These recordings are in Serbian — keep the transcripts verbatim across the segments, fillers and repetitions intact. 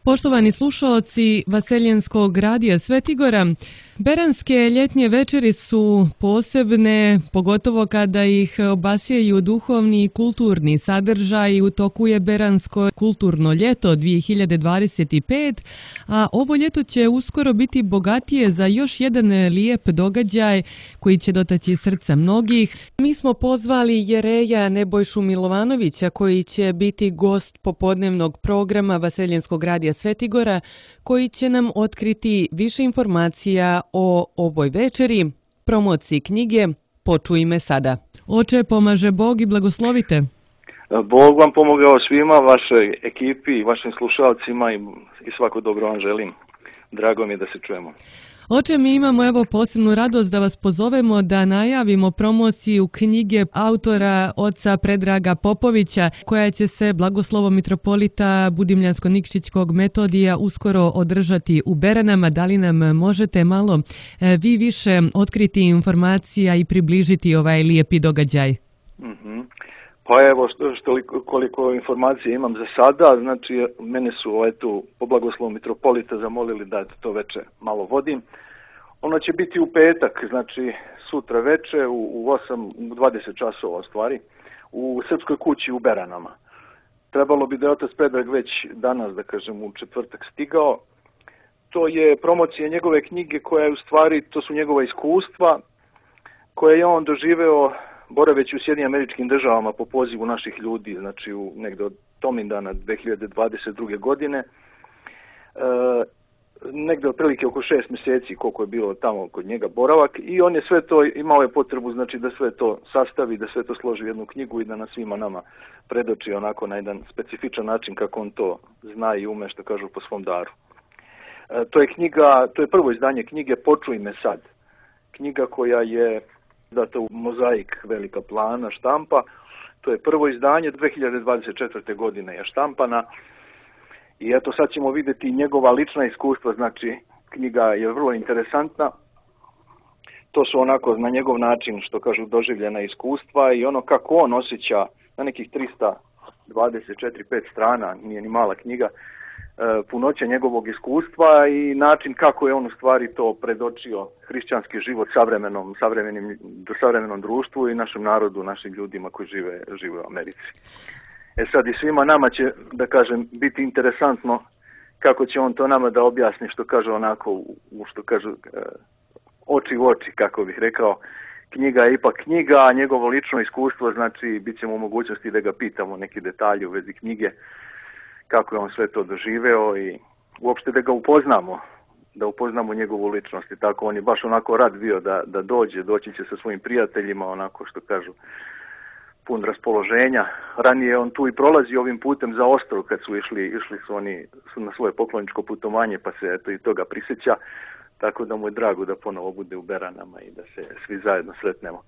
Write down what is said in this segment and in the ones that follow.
Poštovani slušaoci Vaseljenskog radija Svetigora, beranske ljetnje večeri su posebne, pogotovo kada ih obasjaju duhovni i kulturni sadržaj. U toku je beransko kulturno ljeto dvije hiljade dvadeset pet, a ovo ljeto će uskoro biti bogatije za još jedan lijep događaj koji će dotaći srca mnogih. Mi smo pozvali jereja Nebojšu Milovanovića koji će biti gost popodnevnog programa Vaseljenskog radija Svetigora, koji će nam otkriti više informacija o ovoj večeri, promociji knjige Počuj me sada. Oče, pomaže Bog i blagoslovite. Bog vam pomogao svima, vašoj ekipi i vašim slušalcima i, i svako dobro vam želim. Drago mi je da se čujemo. Oče, mi imamo evo posebnu radost da vas pozovemo da najavimo promociju knjige autora oca Predraga Popovića, koja će se blagoslovom mitropolita Budimljansko-Nikšićkog Metodija uskoro održati u Beranama. Da li nam možete malo e, vi više otkriti informacija i približiti ovaj lijepi događaj? Mm-hmm. Pa evo, što, što, koliko informacije imam za sada, znači mene su ovaj, tu po blagoslovu mitropolita zamolili da to veče malo vodim. Ono će biti u petak, znači sutra veče u, u osam, u dvadeset časova stvari, u Srpskoj kući u Beranama. Trebalo bi da je otac Predrag već danas, da kažem, u četvrtak stigao. To je promocija njegove knjige koja je u stvari, to su njegova iskustva koje je on doživeo boraveći u Sjedinjenim Američkim Državama po pozivu naših ljudi, znači u negde od Tomindana dvije hiljade dvadeset druge godine. E, negde otprilike oko šest mjeseci koliko je bilo tamo kod njega boravak i on je sve to, imao je potrebu znači da sve to sastavi, da sve to složi u jednu knjigu i da nas svima nama predoči onako na jedan specifičan način kako on to zna i ume, što kažu, po svom daru. E, to je knjiga, to je prvo izdanje knjige Počuj me sad. Knjiga koja je data u mozaik velika plana štampa. To je prvo izdanje, dvije hiljade dvadeset četvrte godine je štampana. I eto sad ćemo vidjeti njegova lična iskustva, znači knjiga je vrlo interesantna. To su onako na njegov način, što kažu, doživljena iskustva i ono kako on osjeća na nekih trista dvadeset četiri pet strana, nije ni mala knjiga, punoća njegovog iskustva i način kako je on u stvari to predočio hrišćanski život savremenom, savremenim, savremenom društvu i našem narodu, našim ljudima koji žive, žive u Americi. E sad i svima nama će, da kažem, biti interesantno kako će on to nama da objasni, što kaže onako, u što kažu oči u oči, kako bih rekao. Knjiga je ipak knjiga, a njegovo lično iskustvo, znači bit ćemo u mogućnosti da ga pitamo neki detalji u vezi knjige, kako je on sve to doživeo i uopšte da ga upoznamo, da upoznamo njegovu ličnost. I tako on je baš onako rad bio da, da dođe, doći će sa svojim prijateljima, onako što kažu, pun raspoloženja. Ranije on tu i prolazi ovim putem za Ostrog kad su išli, išli su oni su na svoje pokloničko putovanje, pa se eto i toga prisjeća, tako da mu je drago da ponovo bude u Beranama i da se svi zajedno sretnemo.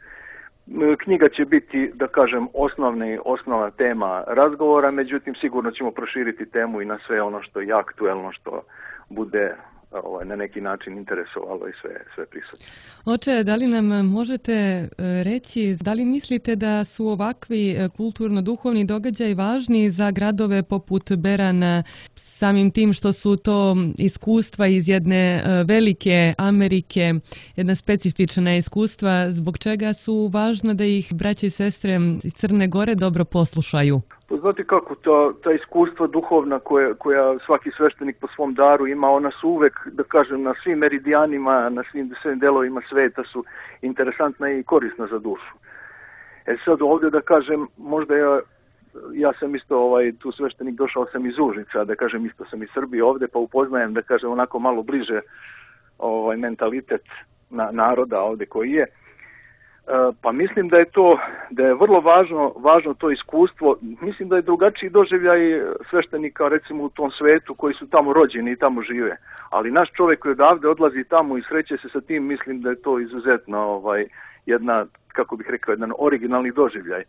Knjiga će biti, da kažem, osnovni, osnovna tema razgovora, međutim sigurno ćemo proširiti temu i na sve ono što je aktuelno, što bude ovaj, na neki način interesovalo i sve, sve prisutno. Oče, da li nam možete reći, da li mislite da su ovakvi kulturno-duhovni događaji važni za gradove poput Berana, samim tim što su to iskustva iz jedne velike Amerike, jedna specifična iskustva, zbog čega su važno da ih braće i sestre iz Crne Gore dobro poslušaju? Pa znate kako, ta, ta iskustva duhovna koja, koja svaki sveštenik po svom daru ima, ona su uvek, da kažem, na svim meridijanima, na svim, svim delovima sveta su interesantna i korisna za dušu. E sad ovdje, da kažem, možda ja Ja sam isto ovaj tu sveštenik, došao sam iz Užica, da kažem, isto sam iz Srbije ovdje, pa upoznajem, da kažem, onako malo bliže ovaj mentalitet na, naroda ovdje koji je. E, pa mislim da je to, da je vrlo važno, važno to iskustvo. Mislim da je drugačiji doživljaj sveštenika, recimo, u tom svetu koji su tamo rođeni i tamo žive. Ali naš čovjek koji odavde odlazi tamo i sreće se sa tim, mislim da je to izuzetno ovaj jedna, kako bih rekao, jedan originalni doživljaj.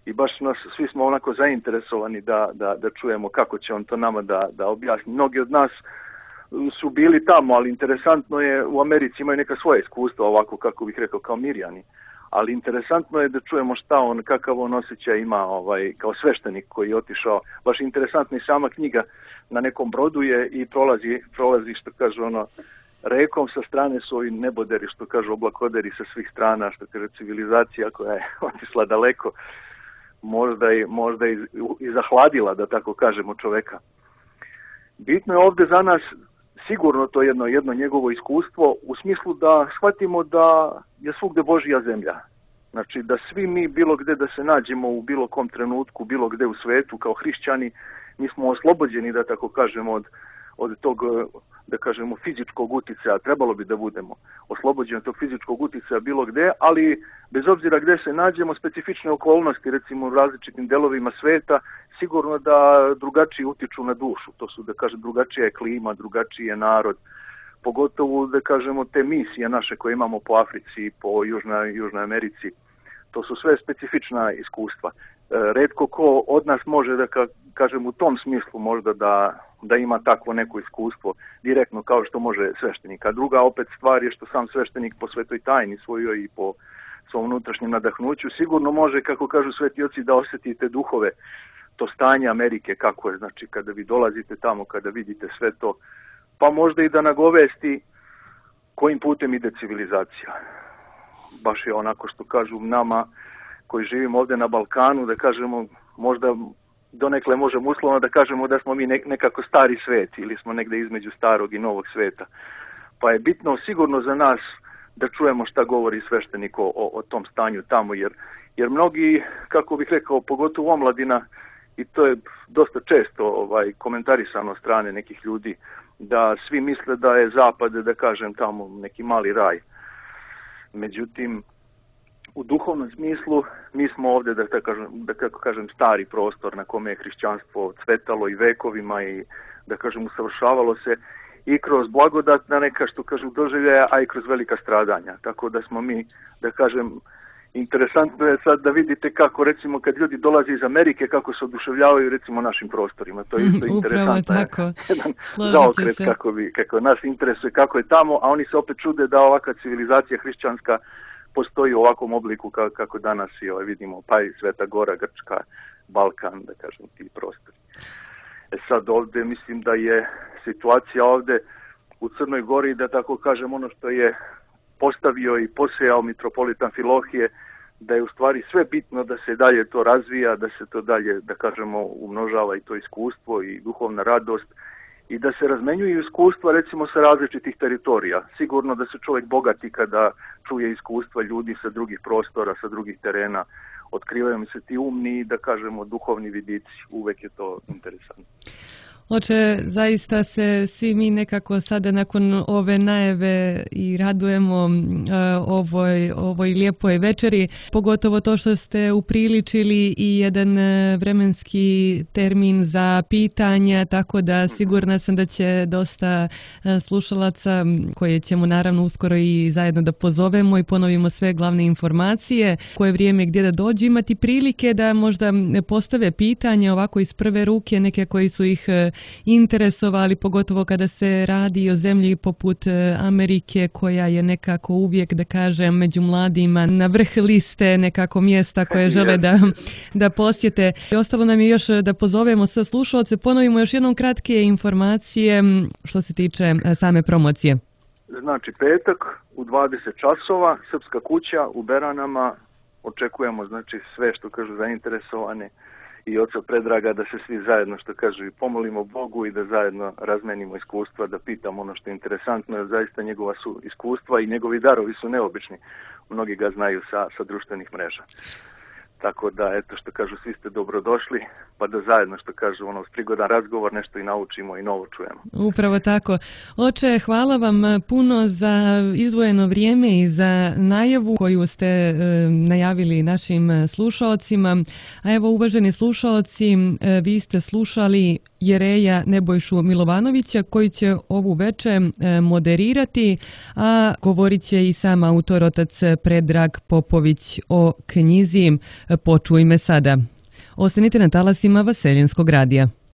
I baš nas, svi smo onako zainteresovani da, da, da čujemo kako će on to nama da, da objasni. Mnogi od nas su bili tamo, ali interesantno je, u Americi imaju neka svoja iskustva, ovako kako bih rekao, kao Mirjani. ali interesantno je da čujemo šta on, kakav on osjećaj ima ovaj, kao sveštenik koji je otišao. Baš interesantna i sama knjiga, na nekom brodu je i prolazi, prolazi što kažu ono, rekom sa strane su ovi neboderi, što kažu oblakoderi sa svih strana, što kaže civilizacija koja je otišla daleko, možda i, možda i, i zahladila, da tako kažemo, čoveka. Bitno je ovde za nas sigurno to jedno, jedno njegovo iskustvo u smislu da shvatimo da je svugde Božja zemlja. Znači da svi mi bilo gde da se nađemo u bilo kom trenutku, bilo gde u svetu kao hrišćani, mi smo oslobođeni, da tako kažemo, od, od tog, da kažemo, fizičkog uticaja, trebalo bi da budemo oslobođeni od tog fizičkog uticaja bilo gde, ali bez obzira gde se nađemo, specifične okolnosti, recimo u različitim delovima sveta, sigurno da drugačije utiču na dušu. To su, da kažem, drugačija je klima, drugačiji je narod, pogotovo, da kažemo, te misije naše koje imamo po Africi, po Južnoj, Južnoj Americi. To su sve specifična iskustva. Retko ko od nas može, da kažem, u tom smislu možda da, da ima takvo neko iskustvo direktno kao što može sveštenik. A druga opet stvar je što sam sveštenik po svetoj tajni svojoj i po svom unutrašnjem nadahnuću sigurno može, kako kažu sveti oci, da osjetite duhove, to stanje Amerike kako je, znači kada vi dolazite tamo, kada vidite sve to, pa možda i da nagovesti kojim putem ide civilizacija. Baš je onako što kažu nama koji živimo ovdje na Balkanu, da kažemo, možda donekle možemo uslovno da kažemo da smo mi nekako stari svet ili smo negde između starog i novog sveta. Pa je bitno sigurno za nas da čujemo šta govori sveštenik o, o tom stanju tamo, jer, jer mnogi, kako bih rekao, pogotovo omladina, i to je dosta često ovaj, komentarisano od strane nekih ljudi, da svi misle da je zapad, da kažem, tamo neki mali raj. Međutim, u duhovnom smislu mi smo ovdje, da tako kažem, da kako kažem, stari prostor na kome je hrišćanstvo cvetalo i vekovima i, da kažem, usavršavalo se i kroz blagodatna neka, što kažu, doživljaja, a i kroz velika stradanja. Tako da smo mi, da kažem, interesantno je sad da vidite kako, recimo, kad ljudi dolaze iz Amerike, kako se oduševljavaju, recimo, našim prostorima. To je isto interesantno. Je jedan zaokret kako, bi, kako nas interesuje, kako je tamo, a oni se opet čude da ovakva civilizacija hrišćanska postoji u ovakvom obliku kako danas i ovaj, vidimo, pa i Sveta Gora, Grčka, Balkan, da kažem, ti prostori. E sad ovdje mislim da je situacija ovdje u Crnoj Gori, da tako kažem, ono što je postavio i posejao mitropolitan Filohije, da je u stvari sve bitno da se dalje to razvija, da se to dalje, da kažemo, umnožava i to iskustvo i duhovna radost i da se razmenjuju iskustva, recimo, sa različitih teritorija. Sigurno da se čovjek bogati kada čuje iskustva ljudi sa drugih prostora, sa drugih terena. Otkrivaju mi se ti umni, da kažemo, duhovni vidici. Uvek je to interesantno. Oče, zaista se svi mi nekako sada nakon ove najave i radujemo uh, ovoj, ovoj lijepoj večeri, pogotovo to što ste upriličili i jedan vremenski termin za pitanja, tako da sigurna sam da će dosta slušalaca, koje ćemo naravno uskoro i zajedno da pozovemo i ponovimo sve glavne informacije, koje vrijeme gdje da dođu, imati prilike da možda postave pitanja ovako iz prve ruke, neke koji su ih interesovali, pogotovo kada se radi o zemlji poput Amerike, koja je nekako uvijek, da kažem, među mladima na vrh liste nekako mjesta koje žele da, da posjete. I ostalo nam je još da pozovemo sve slušalce, ponovimo još jednom kratke informacije što se tiče same promocije. Znači petak u dvadeset časova, Srpska kuća u Beranama, očekujemo znači sve što kažu zainteresovane i oca Predraga da se svi zajedno, što kažu, i pomolimo Bogu i da zajedno razmenimo iskustva, da pitamo ono što je interesantno, jer zaista njegova su iskustva i njegovi darovi su neobični. Mnogi ga znaju sa, sa društvenih mreža. Tako da, eto, što kažu, svi ste dobrodošli, pa da zajedno, što kažu, ono, prigodan razgovor, nešto i naučimo i novo čujemo. Upravo tako. Oče, hvala vam puno za izdvojeno vrijeme i za najavu koju ste e, najavili našim slušalcima. A evo, uvaženi slušalci, e, vi ste slušali jereja Nebojšu Milovanovića, koji će ovu večer moderirati, a govorit će i sam autor, otac Predrag Popović, o knjizi Počuj me sada. Ostanite na talasima Vaseljenskog radija.